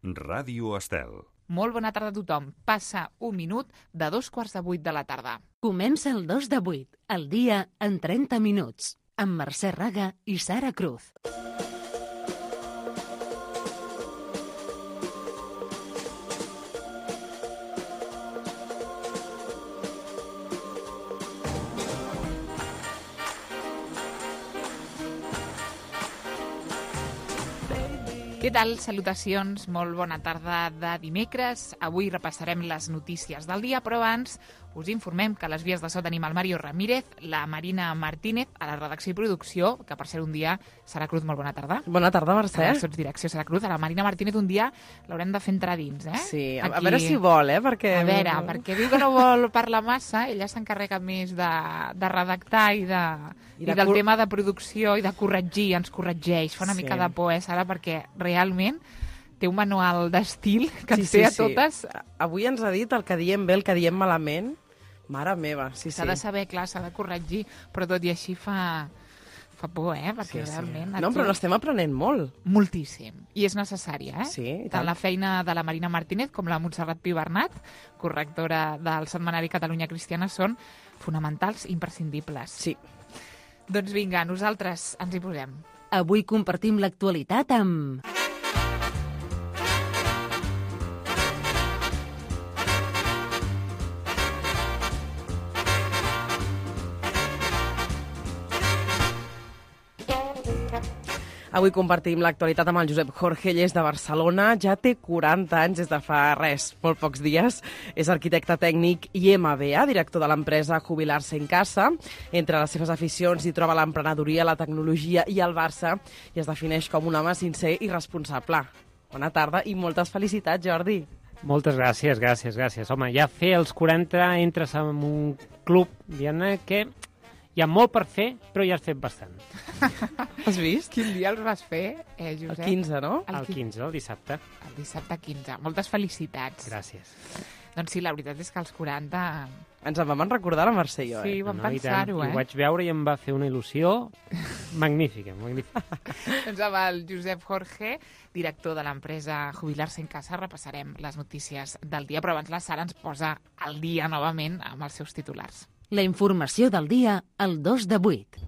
Ràdio Estel. Molt bona tarda a tothom. Passa un minut de 7:45 de la tarda. Comença el 2 de 8, el dia en 30 minuts, amb Mercè Raga i Sara Cruz. Què tal? Salutacions, molt bona tarda de dimecres. Avui repassarem les notícies del dia, però abans us informem que a les vies de so tenim el Mario Ramírez, la Marina Martínez, a la redacció i producció, que per ser un dia, Sara Cruz, molt bona tarda. Bona tarda, Mercè. A la direcció, Sara Cruz. A la Marina Martínez un dia l'haurem de fer entrar dins, eh? Sí, a veure si vol, perquè... A veure, perquè diu que no vol parlar massa, ella s'encarrega més de redactar i del tema de producció i de corregir, ens corregeix, fa una mica de por, Sara, perquè realment té un manual d'estil que ens té a totes. Avui ens ha dit el que diem bé, el que diem malament. Mare meva, sí. S'ha de saber, clar, s'ha de corregir, però tot i així fa por, perquè realment... No, però l'estem aprenent molt. Moltíssim. I és necessària, Sí, i tant. Tant la feina de la Marina Martínez com la Montserrat Pibernat, correctora del setmanari Catalunya Cristiana, són fonamentals, imprescindibles. Sí. Doncs vinga, nosaltres ens hi posem. Avui compartim l'actualitat amb... Avui compartim l'actualitat amb el Josep Jorge, ell és de Barcelona, ja té 40 anys des de fa molt pocs dies. És arquitecte tècnic i MBA, director de l'empresa Jubilar-se en Casa. Entre les seves aficions hi troba l'emprenedoria, la tecnologia i el Barça, i es defineix com un home sincer i responsable. Bona tarda i moltes felicitats, Jordi. Moltes gràcies. Home, ja fer els 40 entres en un club, diguem-ne, que hi ha molt per fer, però ja has fet bastant. Has vist? Quin dia els vas fer, Josep? El 15, no? El 15, el dissabte. El dissabte 15. Moltes felicitats. Gràcies. Doncs sí, la veritat és que als 40... Ens en vam recordar la Mercè i jo, Sí, vam pensar-ho, Ho vaig veure i em va fer una il·lusió magnífica. Doncs amb el Josep Jorge, director de l'empresa Jubilar-se en Casa, repassarem les notícies del dia, però abans la Sara ens posa al dia novament amb els seus titulars. La informació del dia al 2 de 8.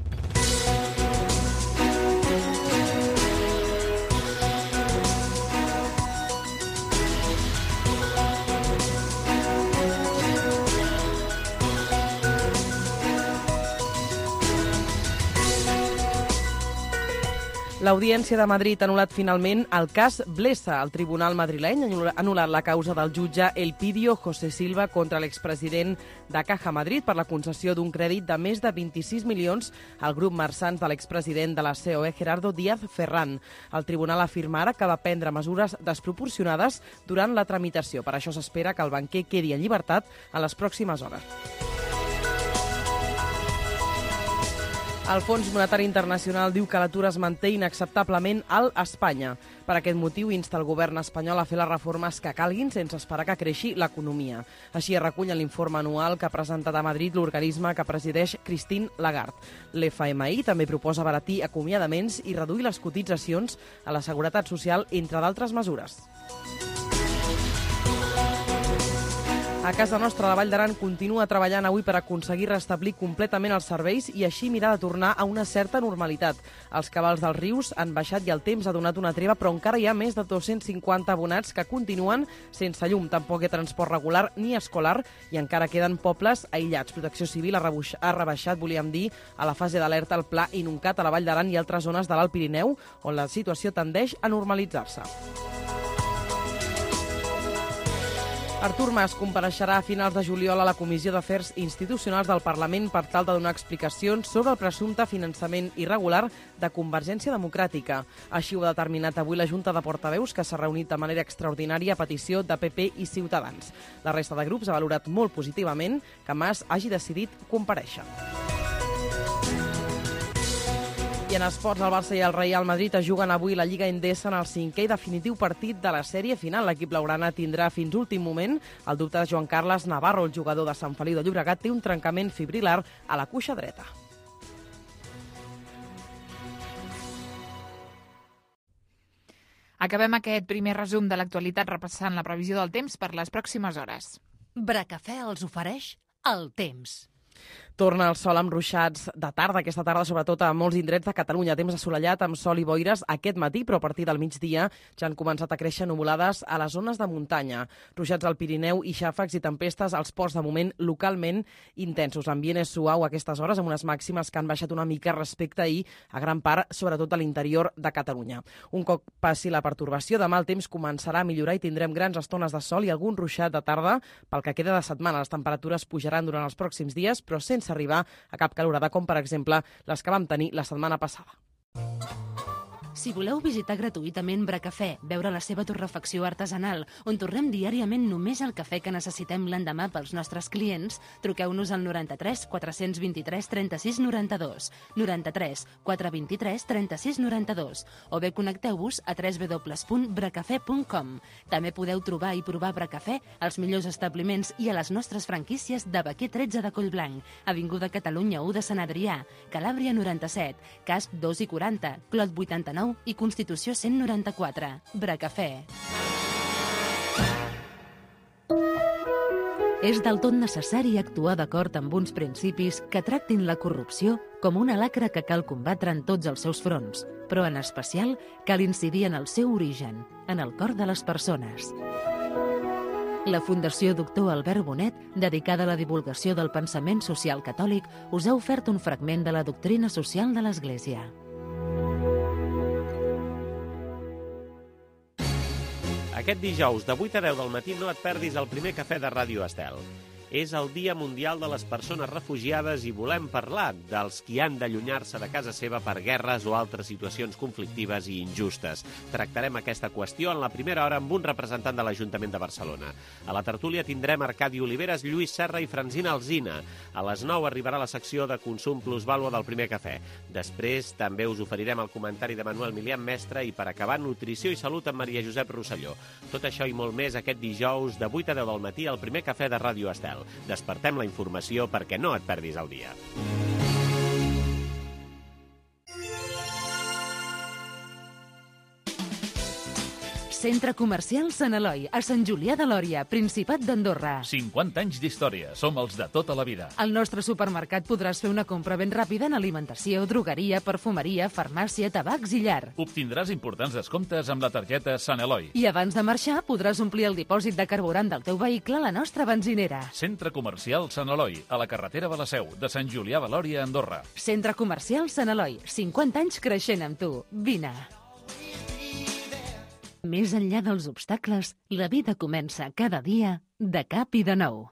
L'Audiència de Madrid ha anul·lat finalment el cas Blesa. El tribunal madrileny ha anul·lat la causa del jutge Elpidio José Silva contra l'expresident de Caja Madrid per la concessió d'un crèdit de més de 26 milions al grup Marsans de l'expresident de la COE, Gerardo Díaz Ferrán. El tribunal afirma ara que va prendre mesures desproporcionades durant la tramitació. Per això s'espera que el banquer quedi en llibertat en les pròximes hores. El Fons Monetari Internacional diu que l'atur es manté inacceptablement alt a Espanya. Per aquest motiu insta el govern espanyol a fer les reformes que calguin sense esperar que creixi l'economia. Així es recull en l'informe anual que ha presentat a Madrid l'organisme que presideix Christine Lagarde. L'FMI també proposa abaratir acomiadaments i reduir les cotitzacions a la Seguretat Social, entre d'altres mesures. A casa nostra, la Vall d'Aran continua treballant avui per aconseguir restablir completament els serveis i així mirar de tornar a una certa normalitat. Els cabals dels rius han baixat i el temps ha donat una treva, però encara hi ha més de 250 abonats que continuen sense llum. Tampoc hi ha transport regular ni escolar i encara queden pobles aïllats. Protecció Civil ha rebaixat, volíem dir, a la fase d'alerta el pla Inuncat a la Vall d'Aran i altres zones de l'Alt Pirineu, on la situació tendeix a normalitzar-se. Artur Mas compareixerà a finals de juliol a la Comissió d'Afers Institucionals del Parlament per tal de donar explicacions sobre el presumpte finançament irregular de Convergència Democràtica. Així ho ha determinat avui la Junta de Portaveus, que s'ha reunit de manera extraordinària a petició de PP i Ciutadans. La resta de grups ha valorat molt positivament que Mas hagi decidit comparèixer. I en esports, el Barça i el Real Madrid es juguen avui la Lliga Endesa en el 5è i definitiu partit de la sèrie final. L'equip blaugrana tindrà fins últim moment el dubte de Joan Carles Navarro. El jugador de Sant Feliu de Llobregat té un trencament fibrilar a la cuixa dreta. Acabem aquest primer resum de l'actualitat repassant la previsió del temps per les pròximes hores. Bracafè els ofereix el temps. Torna el sol amb ruixats de tarda, aquesta tarda, sobretot a molts indrets de Catalunya. Temps assolellat amb sol i boires aquest matí, però a partir del migdia ja han començat a créixer nuvolades a les zones de muntanya. Ruixats al Pirineu i xàfecs i tempestes als ports, de moment localment intensos. L'ambient és suau a aquestes hores, amb unes màximes que han baixat una mica respecte a ahir, a gran part, sobretot a l'interior de Catalunya. Un cop passi la pertorbació, demà el temps començarà a millorar i tindrem grans estones de sol i algun ruixat de tarda pel que queda de setmana. Les temperatures pujaran durant els pròxims dies, però sense arribar a cap calorada, com per exemple les que vam tenir la setmana passada. Si voleu visitar gratuïtament Bracafè, veure la seva torrefacció artesanal, on torrem diàriament només el cafè que necessitem l'endemà pels nostres clients, truqueu-nos al 93 423 36 92, 93 423 36 92, o bé connecteu-vos a www.bracafè.com. També podeu trobar i provar Bracafè als millors establiments i a les nostres franquícies de Baquer 13 de Collblanc, Avinguda Catalunya 1 de Sant Adrià, Calàbria 97, Casp 2 i 40, Clot 89 i Constitució 194. Bracafè. És del tot necessari actuar d'acord amb uns principis que tractin la corrupció com una lacra que cal combatre en tots els seus fronts, però en especial cal incidir en el seu origen, en el cor de les persones. La Fundació Doctor Albert Bonet, dedicada a la divulgació del pensament social catòlic, us ha ofert un fragment de la doctrina social de l'Església. Aquest dijous, de 8 a 10 del matí, no et perdis el primer cafè de Ràdio Estel. És el Dia Mundial de les Persones Refugiades i volem parlar dels qui han d'allunyar-se de casa seva per guerres o altres situacions conflictives i injustes. Tractarem aquesta qüestió en la primera hora amb un representant de l'Ajuntament de Barcelona. A la tertúlia tindrem Arcadi Oliveres, Lluís Serra i Francina Alsina. A les 9 arribarà la secció de consum plusvàlua del primer cafè. Després també us oferirem el comentari de Manuel Milian Mestre i per acabar nutrició i salut amb Maria Josep Rosselló. Tot això i molt més aquest dijous de 8 a 10 del matí al primer cafè de Ràdio Estel. Despertem la informació perquè no et perdis el dia. Centre Comercial Sant Eloi, a Sant Julià de Lòria, Principat d'Andorra. 50 anys d'història. Som els de tota la vida. Al nostre supermercat podràs fer una compra ben ràpida en alimentació, drogueria, perfumeria, farmàcia, tabacs i llar. Obtindràs importants descomptes amb la targeta Sant Eloi. I abans de marxar podràs omplir el dipòsit de carburant del teu vehicle a la nostra benzinera. Centre Comercial Sant Eloi, a la carretera de la Seu, de Sant Julià de Lòria, Andorra. Centre Comercial Sant Eloi, 50 anys creixent amb tu. Vine. Més enllà dels obstacles, la vida comença cada dia de cap i de nou.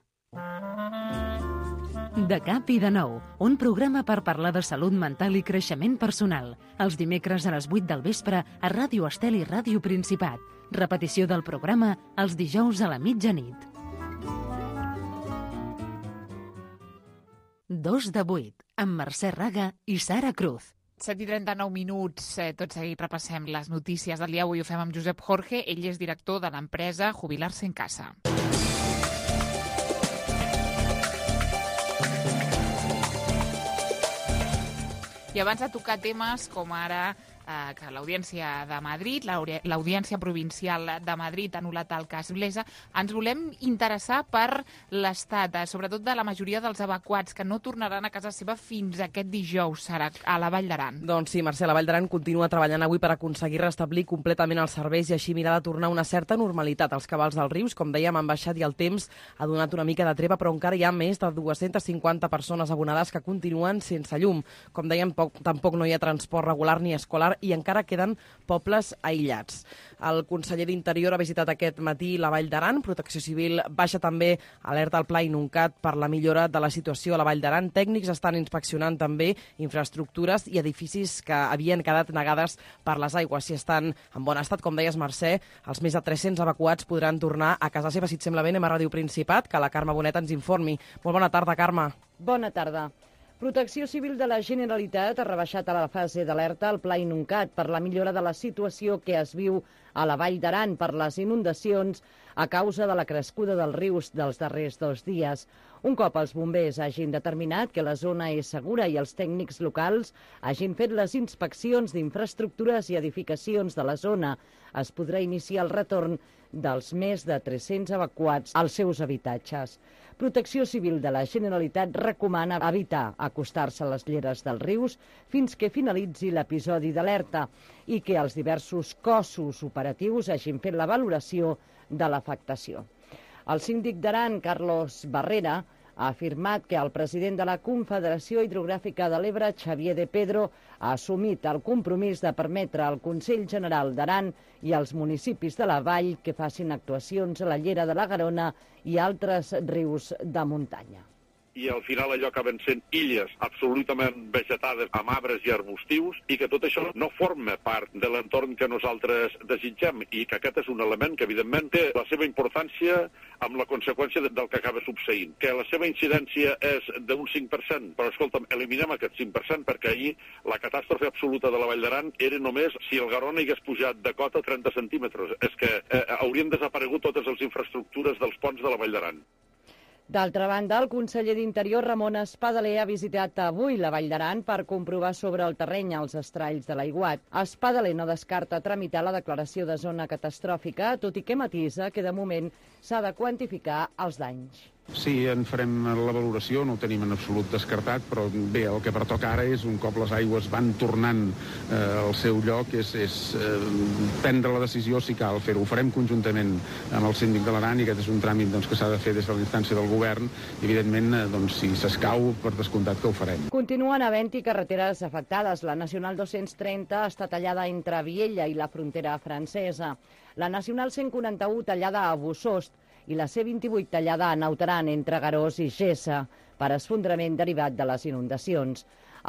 De cap i de nou, un programa per parlar de salut mental i creixement personal. Els dimecres a les 8 del vespre a Ràdio Estel i Ràdio Principat. Repetició del programa els dijous a la mitjanit. 2 de 8, amb Mercè Raga i Sara Cruz. 7:39 minuts, tot seguit repassem les notícies del dia. Avui ho fem amb Josep Jorge, ell és director de l'empresa Jubilar-se en Casa. I abans de tocar temes com ara que l'Audiència de Madrid, l'Audiència Provincial de Madrid ha anul·lat el cas Blesa, ens volem interessar per l'estat, sobretot de la majoria dels evacuats que no tornaran a casa seva fins aquest dijous, Sara, a la Vall d'Aran. Doncs sí, Mercè, la Vall d'Aran continua treballant avui per aconseguir restablir completament els serveis i així mirar de tornar una certa normalitat. Els cabals dels rius, com dèiem, han baixat i el temps ha donat una mica de treva, però encara hi ha més de 250 persones abonades que continuen sense llum. Com dèiem, tampoc no hi ha transport regular ni escolar i encara queden pobles aïllats. El conseller d'Interior ha visitat aquest matí la Vall d'Aran. Protecció Civil baixa també alerta al Pla Inuncat per la millora de la situació a la Vall d'Aran. Tècnics estan inspeccionant també infraestructures i edificis que havien quedat negades per les aigües. Si estan en bon estat, com deies, Mercè, els més de 300 evacuats podran tornar a casa seva. Si et sembla bé, anem a Ràdio Principat, que la Carme Bonet ens informi. Molt bona tarda, Carme. Bona tarda. Protecció Civil de la Generalitat ha rebaixat a la fase d'alerta el Pla Inuncat per la millora de la situació que es viu a la Vall d'Aran per les inundacions a causa de la crescuda dels rius dels darrers 2 dies. Un cop els bombers hagin determinat que la zona és segura i els tècnics locals hagin fet les inspeccions d'infraestructures i edificacions de la zona, es podrà iniciar el retorn dels més de 300 evacuats als seus habitatges. Protecció Civil de la Generalitat recomana evitar acostar-se a les lleres dels rius fins que finalitzi l'episodi d'alerta i que els diversos cossos operatius hagin fet la valoració de l'afectació. El síndic d'Aran, Carlos Barrera, ha afirmat que el president de la Confederació Hidrogràfica de l'Ebre, Xavier de Pedro, ha assumit el compromís de permetre al Consell General d'Aran i als municipis de la vall que facin actuacions a la llera de la Garona i altres rius de muntanya. I al final allò acaben sent illes absolutament vegetades amb arbres i arbustius i que tot això no forma part de l'entorn que nosaltres desitgem i que aquest és un element que evidentment té la seva importància amb la conseqüència del que acaba succeint. Que la seva incidència és d'un 5%, però escolta'm, eliminem aquest 5% perquè ahir la catàstrofe absoluta de la Vall d'Aran era només si el Garona hagués pujat de cota 30 centímetres. És que haurien desaparegut totes les infraestructures dels ponts de la Vall d'Aran. D'altra banda, el conseller d'Interior, Ramon Espadaler, ha visitat avui la Vall d'Aran per comprovar sobre el terreny els estralls de l'aiguat. Espadaler no descarta tramitar la declaració de zona catastròfica, tot i que matisa que de moment s'ha de quantificar els danys. Sí, en farem la valoració, no ho tenim en absolut descartat, però bé, el que pertoca ara és, un cop les aigües van tornant al seu lloc, és prendre la decisió si cal fer-ho. Ho farem conjuntament amb el síndic de l'Aran i aquest és un tràmit que s'ha de fer des de la instància del govern i, evidentment, si s'escau, per descomptat que ho farem. Continuen havent-hi carreteres afectades. La Nacional 230 està tallada entre Viella i la frontera francesa. La Nacional 141 tallada a Bussost i la C28 tallada a Naut Aran entre Garós i Gessa per esfondrament derivat de les inundacions.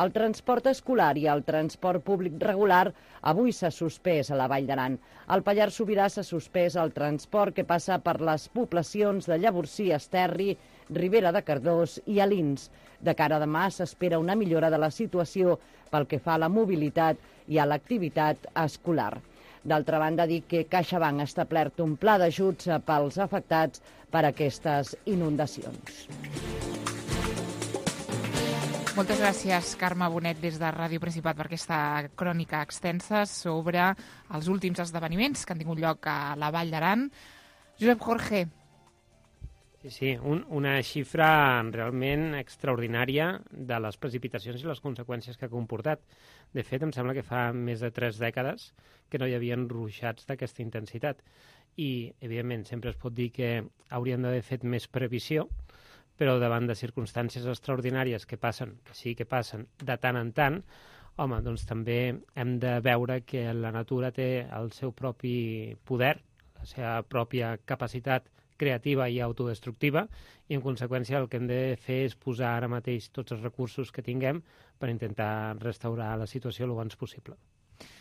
El transport escolar i el transport públic regular avui s'ha suspès a la Vall d'Aran. Al Pallars Sobirà s'ha suspès el transport que passa per les poblacions de Llavorsí, Esterri, Ribera de Cardós i Alins. De cara a demà s'espera una millora de la situació pel que fa a la mobilitat i a l'activitat escolar. D'altra banda, dic que CaixaBank ha establert un pla d'ajuts pels afectats per aquestes inundacions. Moltes gràcies, Carme Bonet, des de Ràdio Principat, per aquesta crònica extensa sobre els últims esdeveniments que han tingut lloc a la Vall d'Aran. Josep Jorge. Sí, una xifra realment extraordinària de les precipitacions i les conseqüències que ha comportat. De fet, em sembla que fa més de 3 dècades que no hi havia ruixats d'aquesta intensitat. I, evidentment, sempre es pot dir que haurien d'haver fet més previsió, però davant de circumstàncies extraordinàries que passen, que sí que passen de tant en tant, home, doncs també hem de veure que la natura té el seu propi poder, la seva pròpia capacitat creativa i autodestructiva, i en conseqüència el que hem de fer és posar ara mateix tots els recursos que tinguem per intentar restaurar la situació el abans possible.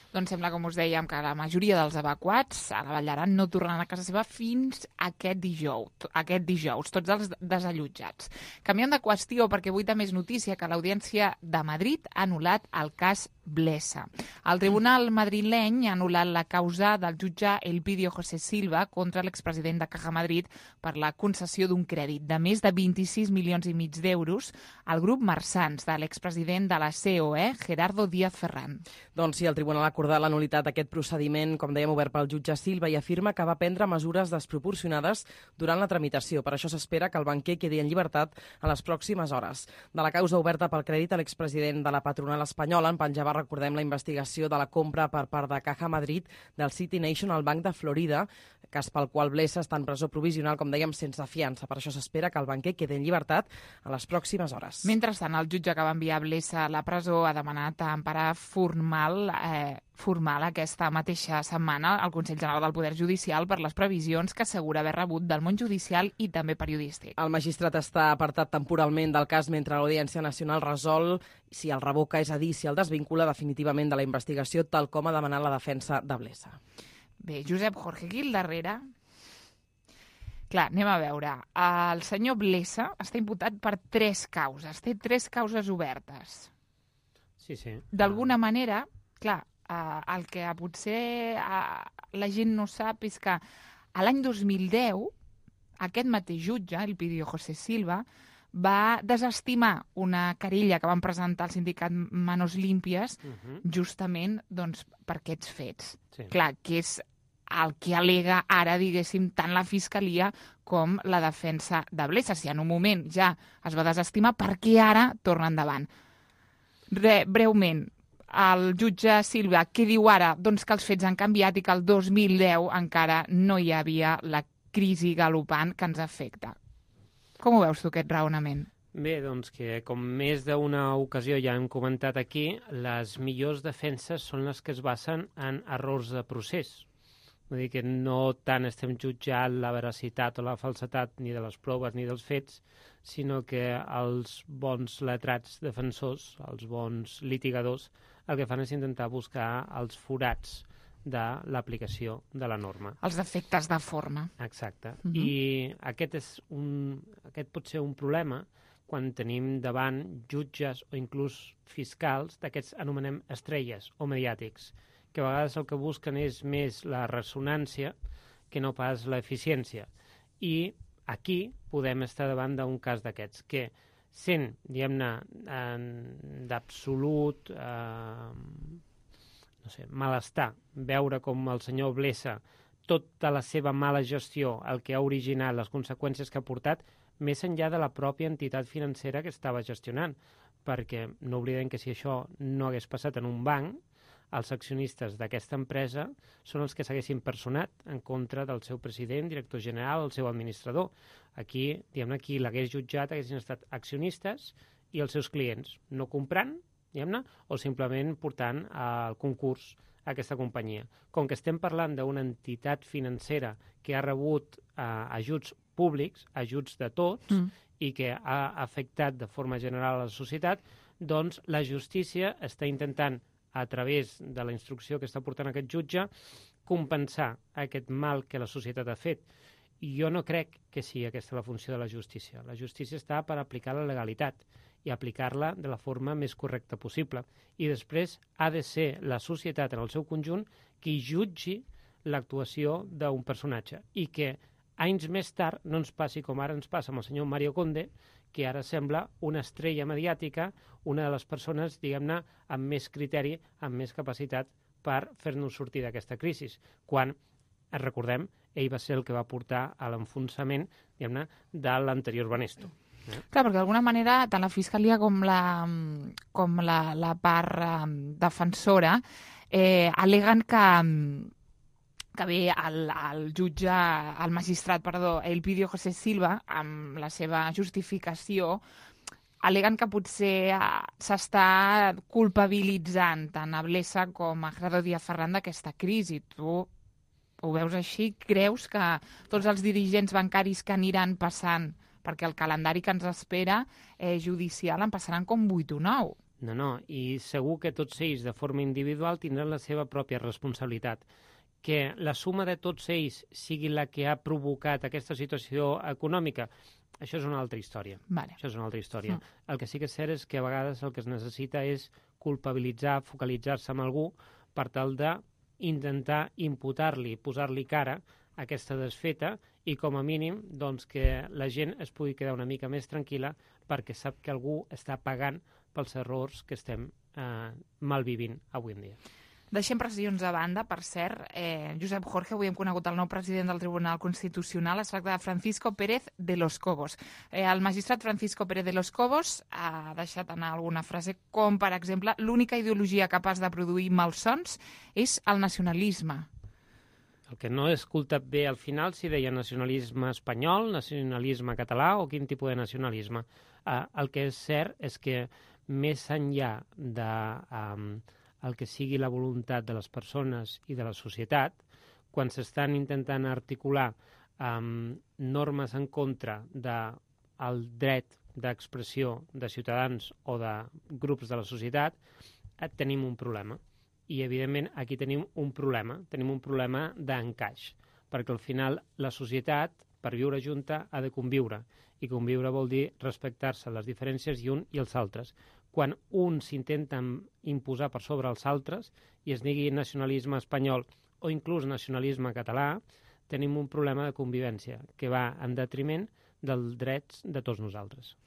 Doncs sembla, com us dèiem, que la majoria dels evacuats a la Vall d'Aran no tornaran a casa seva fins aquest dijous, tots els desallotjats. Canviant de qüestió, perquè avui també és notícia que l'Audiència de Madrid ha anul·lat el cas Blesa. El tribunal madrileny ha anul·lat la causa del jutge Elpidio José Silva contra l'expresident de Caja Madrid per la concessió d'un crèdit de més de 26 milions i mig d'euros al grup Marsans de l'expresident de la COE, Gerardo Díaz Ferran. Doncs sí, el tribunal ha acordat la nul·litat d'aquest procediment, com dèiem, obert pel jutge Silva, i afirma que va prendre mesures desproporcionades durant la tramitació. Per això s'espera que el banquer quedi en llibertat a les pròximes hores. De la causa oberta pel crèdit a l'expresident de la patronal espanyola en penjava, recordem, la investigació de la compra per part de Caja Madrid del City National Bank de Florida, cas pel qual Blesa està en presó provisional, com dèiem, sense fiança. Per això s'espera que el banquer quedi en llibertat a les pròximes hores. Mentrestant, el jutge que va enviar Blesa a la presó ha demanat emparar formal aquesta mateixa setmana al Consell General del Poder Judicial per les previsions que assegura haver rebut del món judicial i també periodístic. El magistrat està apartat temporalment del cas mentre l'Audiència Nacional resol si el revoca, és a dir, si el desvincula definitivament de la investigació, tal com ha demanat la defensa de Blesa. Bé, Josep Jorge, aquí al darrere... Clar, anem a veure. El senyor Blesa està imputat per 3 causes. Té 3 causes obertes. Sí. D'alguna manera, clar, el que potser la gent no sap és que a l'any 2010 aquest mateix jutge, Elpidio José Silva, va desestimar una querella que van presentar al sindicat Manos Limpias justament doncs, per aquests fets. Sí. Clar, que és el que alega ara, diguéssim, tant la Fiscalia com la defensa de Blesa. Si en un moment ja es va desestimar, per què ara torna endavant? Breument, el jutge Silva, què diu ara? Doncs que els fets han canviat i que el 2010 encara no hi havia la crisi galopant que ens afecta. Com ho veus tu, aquest raonament? Bé, doncs que com més d'una ocasió ja hem comentat aquí, les millors defenses són les que es basen en errors de procés. Vull dir que no tant estem jutjant la veracitat o la falsetat ni de les proves ni dels fets, sinó que els bons letrats defensors, els bons litigadors, el que fan és intentar buscar els forats de l'aplicació de la norma. Els defectes de forma. Exacte. I aquest pot ser un problema quan tenim davant jutges o inclús fiscals d'aquests anomenem estrelles o mediàtics, que a vegades el que busquen és més la ressonància que no pas l'eficiència. I aquí podem estar davant d'un cas d'aquests, que sent, diguem-ne, d'absolut malestar, veure com el senyor Blesa, tota la seva mala gestió, el que ha originat, les conseqüències que ha portat, més enllà de la pròpia entitat financera que estava gestionant, perquè no oblidem que si això no hagués passat en un banc, els accionistes d'aquesta empresa són els que s'haguessin personat en contra del seu president, director general, el seu administrador. Aquí, diguem-ne, qui l'hagués jutjat haguessin estat accionistes i els seus clients, no comprant, diguem-ne, o simplement portant al concurs aquesta companyia. Com que estem parlant d'una entitat financera que ha rebut ajuts públics, ajuts de tots, i que ha afectat de forma general a la societat, doncs la justícia està intentant, a través de la instrucció que està portant aquest jutge, compensar aquest mal que la societat ha fet. I jo no crec que sigui aquesta la funció de la justícia. La justícia està per aplicar la legalitat i aplicar-la de la forma més correcta possible. I després ha de ser la societat en el seu conjunt qui jutgi l'actuació d'un personatge i que anys més tard no ens passi com ara ens passa amb el senyor Mario Conde, que ara sembla una estrella mediàtica, una de les persones, diguem-ne, amb més criteri, amb més capacitat per fer-nos sortir d'aquesta crisi. Quan, recordem, ell va ser el que va portar a l'enfonsament, diguem-ne, de l'anterior Banesto. Clar, perquè d'alguna manera tant la Fiscalia com la part defensora aleguen que bé el jutge, el magistrat, Elpidio José Silva, amb la seva justificació, aleguen que potser s'està culpabilitzant tant a Blesa com a Gerardo Díaz Ferrán d'aquesta crisi. Tu ho veus així? Creus que tots els dirigents bancaris que aniran passant, perquè el calendari que ens espera judicial en passaran com 8 o 9? No, i segur que tots ells de forma individual tindran la seva pròpia responsabilitat. Que la suma de tots ells sigui la que ha provocat aquesta situació econòmica, això és una altra història. Vale. Això és una altra història. El que sí que és cert és que a vegades el que es necessita és culpabilitzar, focalitzar-se en algú per tal d'intentar imputar-li, posar-li cara a aquesta desfeta i com a mínim doncs, que la gent es pugui quedar una mica més tranquil·la perquè sap que algú està pagant pels errors que estem malvivint avui en dia. Deixem pressions a banda, per cert. Josep Jorge, avui hem conegut el nou president del Tribunal Constitucional. Es tracta de Francisco Pérez de los Cobos. El magistrat Francisco Pérez de los Cobos ha deixat anar alguna frase com, per exemple, l'única ideologia capaç de produir malsons és el nacionalisme. El que no he escoltat bé al final si deia nacionalisme espanyol, nacionalisme català o quin tipus de nacionalisme. El que és cert és que més enllà de el que sigui la voluntat de les persones i de la societat, quan s'estan intentant articular normes en contra del dret d'expressió de ciutadans o de grups de la societat, tenim un problema. I, evidentment, aquí tenim un problema d'encaix, perquè al final la societat, per viure junta, ha de conviure, i conviure vol dir respectar-se les diferències i un i els altres. quan uns s'intenten imposar per sobre els altres i es digui nacionalisme espanyol o inclús nacionalisme català, tenim un problema de convivència que va en detriment dels drets de tots nosaltres.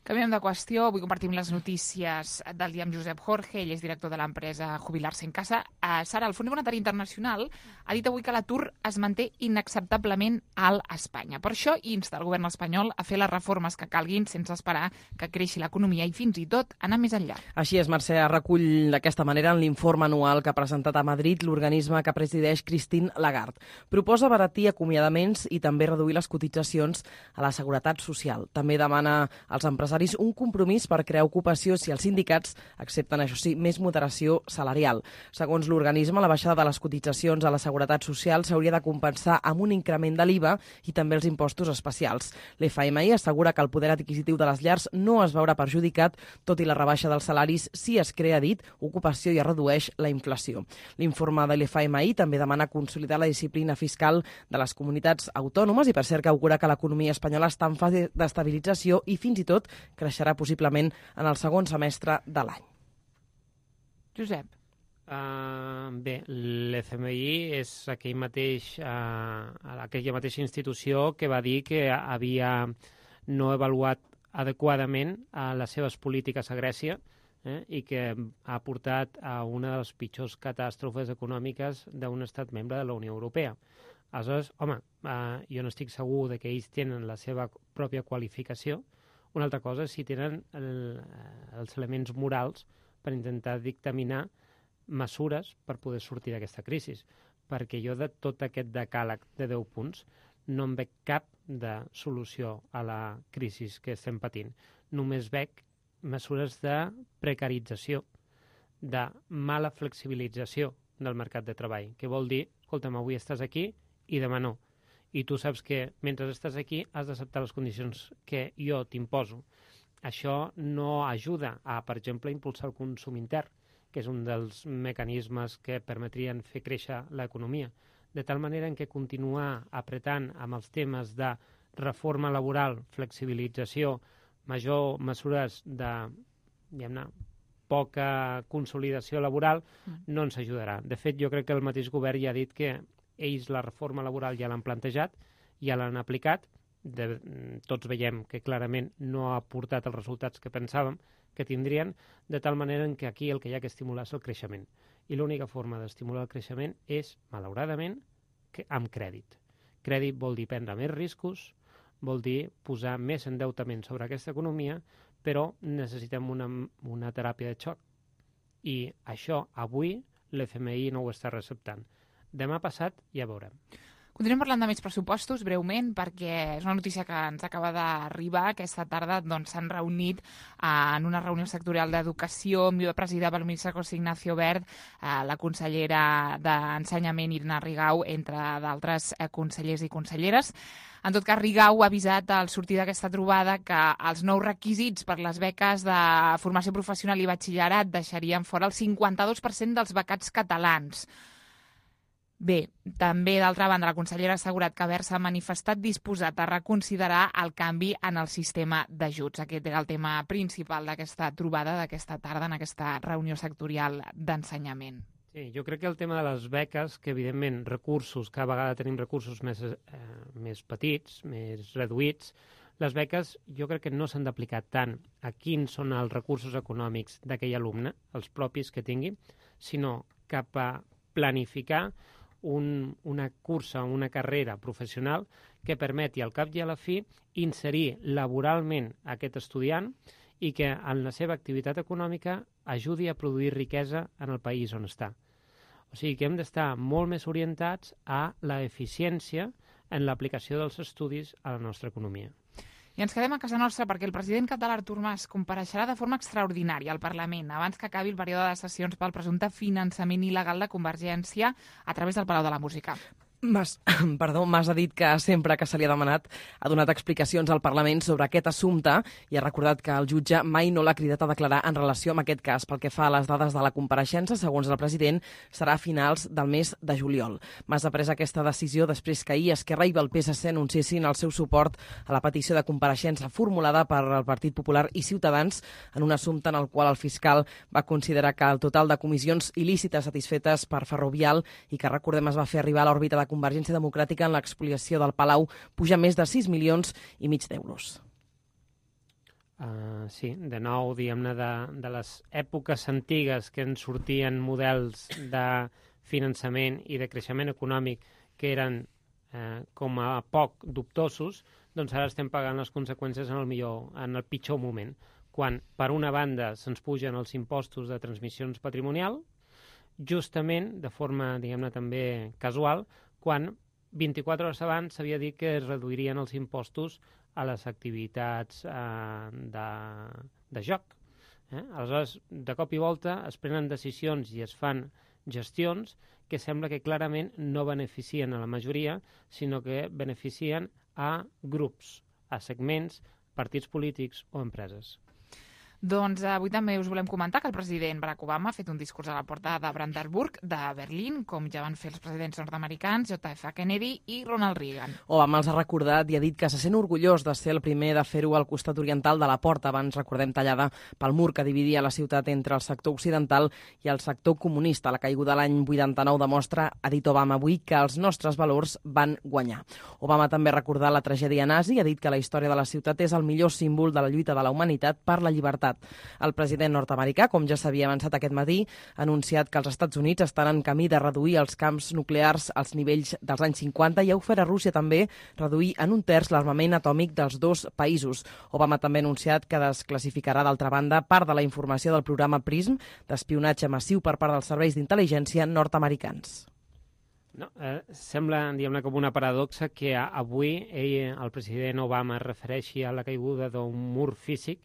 Canviem de qüestió. Avui compartim les notícies del dia amb Josep Jorge. Ell és director de l'empresa Jubilar-se en Casa. Sara, el Fons Monetari Internacional ha dit avui que l'atur es manté inacceptablement alt a Espanya. Per això insta el govern espanyol a fer les reformes que calguin sense esperar que creixi l'economia i fins i tot anar més enllà. Així és, Mercè, recull d'aquesta manera en l'informe anual que ha presentat a Madrid l'organisme que presideix Christine Lagarde. Proposa abaratir acomiadaments i també reduir les cotitzacions a la seguretat social. També demana als empresaris un compromís per crear ocupació si els sindicats accepten, això sí, més moderació salarial. Segons l'organisme, la baixada de les cotitzacions a la seguretat social s'hauria de compensar amb un increment de l'IVA i també els impostos especials. L'FMI assegura que el poder adquisitiu de les llars no es veurà perjudicat, tot i la rebaixa dels salaris si es crea, dit, ocupació i es redueix la inflació. L'informe de l'FMI també demana consolidar la disciplina fiscal de les comunitats autònomes i, per cert, que augura que l'economia espanyola està en fase d'estabilització i fins i tot creixerà possiblement en el segon semestre de l'any. Josep. Bé, l'FMI és aquella mateixa institució que va dir que havia no avaluat adequadament les seves polítiques a Grècia i que ha portat a una de les pitjors catàstrofes econòmiques d'un estat membre de la Unió Europea. Aleshores, home, jo no estic segur de que ells tenen la seva pròpia qualificació. Una altra cosa és si tenen els elements morals per intentar dictaminar mesures per poder sortir d'aquesta crisi. Perquè jo de tot aquest decàleg de 10 punts no en veig cap de solució a la crisi que estem patint. Només veig mesures de precarització, de mala flexibilització del mercat de treball, que vol dir, escolta'm, avui estàs aquí i demà no. I tu saps que mentre estàs aquí has d'acceptar les condicions que jo t'imposo. Això no ajuda a, per exemple, impulsar el consum intern, que és un dels mecanismes que permetrien fer créixer l'economia. De tal manera en què continuar apretant amb els temes de reforma laboral, flexibilització, major mesures de, diguem-ne, poca consolidació laboral, no ens ajudarà. De fet, jo crec que el mateix govern ja ha dit que ells la reforma laboral ja l'han plantejat, ja l'han aplicat, tots veiem que clarament no ha portat els resultats que pensàvem que tindrien, de tal manera en que aquí el que hi ha que estimular és el creixement. I l'única forma d'estimular el creixement és, malauradament, amb crèdit. Crèdit vol dir prendre més riscos, vol dir posar més endeutament sobre aquesta economia, però necessitem una teràpia de xoc. I això, avui, l'FMI no ho està receptant. Demà passat ja veurem. Continuem parlant de més pressupostos, breument, perquè és una notícia que ens acaba d'arribar. Aquesta tarda s'han reunit en una reunió sectorial d'educació, presidida pel ministre José Ignacio Wert, la consellera d'Ensenyament, Irene Rigau, entre d'altres consellers i conselleres. En tot cas, Rigau ha avisat al sortir d'aquesta trobada que els nous requisits per les beques de formació professional i batxillerat deixarien fora el 52% dels becats catalans. Bé, també, d'altra banda, la consellera ha assegurat que Wert s'ha manifestat disposat a reconsiderar el canvi en el sistema d'ajuts. Aquest era el tema principal d'aquesta trobada d'aquesta tarda en aquesta reunió sectorial d'ensenyament. Sí, jo crec que el tema de les beques, que evidentment recursos, cada vegada tenim recursos més petits, més reduïts, les beques jo crec que no s'han d'aplicar tant a quins són els recursos econòmics d'aquell alumne, els propis que tingui, sinó cap a planificar una cursa, una carrera professional que permeti al cap i a la fi inserir laboralment aquest estudiant i que en la seva activitat econòmica ajudi a produir riquesa en el país on està. O sigui que hem d'estar molt més orientats a la eficiència en l'aplicació dels estudis a la nostra economia. I ens quedem a casa nostra perquè el president català Artur Mas compareixerà de forma extraordinària al Parlament abans que acabi el període de sessions pel presumpte finançament il·legal de Convergència a través del Palau de la Música. Mas ha dit que sempre que se li ha demanat ha donat explicacions al Parlament sobre aquest assumpte i ha recordat que el jutge mai no l'ha cridat a declarar en relació amb aquest cas. Pel que fa a les dades de la compareixença, segons el president, serà a finals del mes de juliol. Mas ha pres aquesta decisió després que ahir Esquerra i el PSC anunciessin el seu suport a la petició de compareixença formulada per el Partit Popular i Ciutadans en un assumpte en el qual el fiscal va considerar que el total de comissions il·lícites satisfetes per Ferrovial i que, recordem, es va fer arribar a l'òrbita de Convergència Democràtica en l'expoliació del Palau puja més de 6,5 milions d'euros. Sí, de nou, diguem-ne, de les èpoques antigues que ens sortien models de finançament i de creixement econòmic que eren com a poc dubtosos, doncs ara estem pagant les conseqüències en el pitjor moment, quan per una banda se'ns pugen els impostos de transmissions patrimonial, justament, de forma, diguem-ne, també casual, quan 24 hores abans s'havia dit que es reduirien els impostos a les activitats de joc. Aleshores, de cop i volta es prenen decisions i es fan gestions que sembla que clarament no beneficien a la majoria, sinó que beneficien a grups, a segments, partits polítics o empreses. Doncs avui també us volem comentar que el president Barack Obama ha fet un discurs a la porta de Brandenburg de Berlín, com ja van fer els presidents nord-americans, JF Kennedy i Ronald Reagan. Obama els ha recordat i ha dit que se sent orgullós de ser el primer de fer-ho al costat oriental de la porta, abans, recordem, tallada pel mur que dividia la ciutat entre el sector occidental i el sector comunista. La caiguda l'any 89 demostra, ha dit Obama avui, que els nostres valors van guanyar. Obama també ha recordat la tragèdia nazi i ha dit que la història de la ciutat és el millor símbol de la lluita de la humanitat per la llibertat. El president nord-americà, com ja s'havia avançat aquest matí, ha anunciat que els Estats Units estan en camí de reduir els camps nuclears als nivells dels anys 50 i ha ofert a Rússia també reduir en 1/3 l'armament atòmic dels dos països. Obama també ha anunciat que desclassificarà, d'altra banda, part de la informació del programa PRISM d'espionatge massiu per part dels serveis d'intel·ligència nord-americans. No, sembla, diguem-ne, com una paradoxa que avui el president Obama es refereixi a la caiguda d'un mur físic,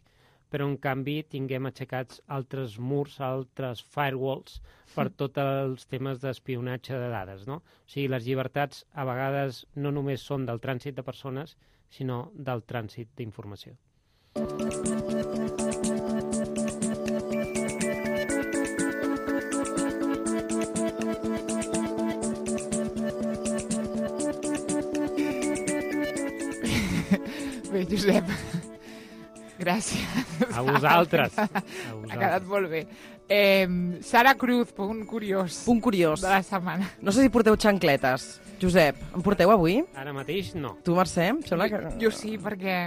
però en canvi tinguem aixecats altres murs, altres firewalls per tots els temes d'espionatge de dades, no? O sigui, les llibertats a vegades no només són del trànsit de persones, sinó del trànsit d'informació. Bé, Josep, gràcies. A vosaltres. Ha quedat molt bé. Sara Cruz, punt curiós. Punt curiós. De la setmana. No sé si porteu xancletes. Josep, en porteu avui? Ara mateix no. Tu, Mercè? Em sembla que... Jo sí, perquè...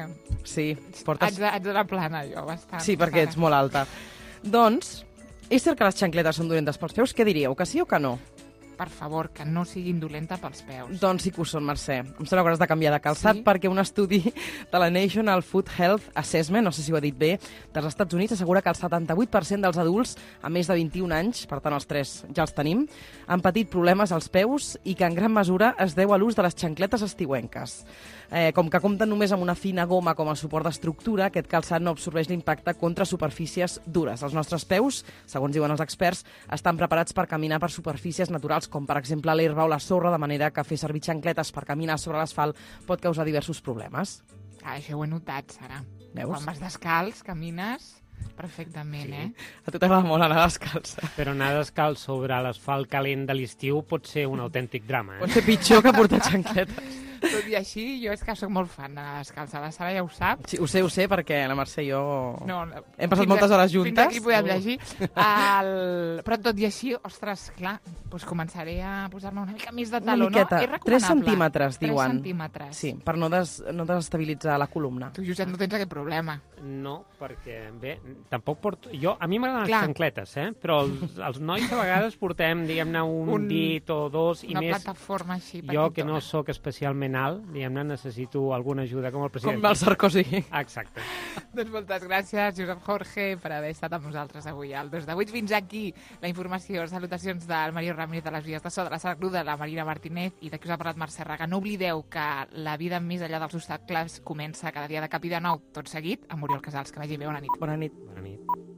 Sí, portes... Haig de la plana, jo, bastant. Sí, perquè ets molt alta. Doncs, és cert que les xancletes són dolentes pels peus? Què diríeu, que sí o que no? Per favor, que no siguin dolenta pels peus. Doncs sí que ho són, Mercè. Em sembla que has de canviar de calçat, perquè un estudi de la National Food Health Assessment, no sé si ho he dit bé, dels Estats Units assegura que el 78% dels adults amb més de 21 anys, per tant els 3 ja els tenim, han patit problemes als peus i que en gran mesura es deu a l'ús de les xancletes estiuenques. Com que compten només amb una fina goma com a suport d'estructura, aquest calçat no absorbeix l'impacte contra superfícies dures. Els nostres peus, segons diuen els experts, estan preparats per caminar per superfícies naturals, com per exemple l'herba o la sorra, de manera que fer servir xancletes per caminar sobre l'asfalt pot causar diversos problemes. Això ho he notat, Sara. Veus? Quan vas descalç, camines perfectament, sí. A tu t'agrada molt anar descalç. Però anar descalç sobre l'asfalt calent de l'estiu pot ser un autèntic drama. Pot ser pitjor que portar xancletes. Tot i així, jo és que soc molt fan d'anar descalça. La Sara ja ho sap. Sí, ho sé, perquè la Mercè i jo hem passat fins moltes hores juntes. Fins aquí podem llegir. Però tot i així, ostres, clar, doncs començaré a posar-me una mica més de taló, no? És 3 centímetres, 3 diuen. centímetres. Sí, per no desestabilitzar la columna. Tu, Josep, no tens aquest problema. No, perquè, bé, tampoc porto... A mi m'agraden les xancletes, però els nois a vegades portem, diguem-ne, un dit o dos, i una més... Una plataforma així petitona. Jo, que no sóc especialment alt, diguem-ne, necessito alguna ajuda com el president. Com el Sarkozy. Exacte. Doncs moltes gràcies, Josep Jorge, per haver estat amb nosaltres avui al 2 de 8. Fins aquí la informació. Salutacions del Mario Ramírez de les Vies de So, de la Sara Cruz, de la Marina Martínez i de qui us ha parlat Mercè Raga. No oblideu que la vida més enllà dels obstacles comença cada dia de cap i de nou, tot seguit, amb Oriol Casals. Que vagi bé, bona nit. Bona nit. Bona nit.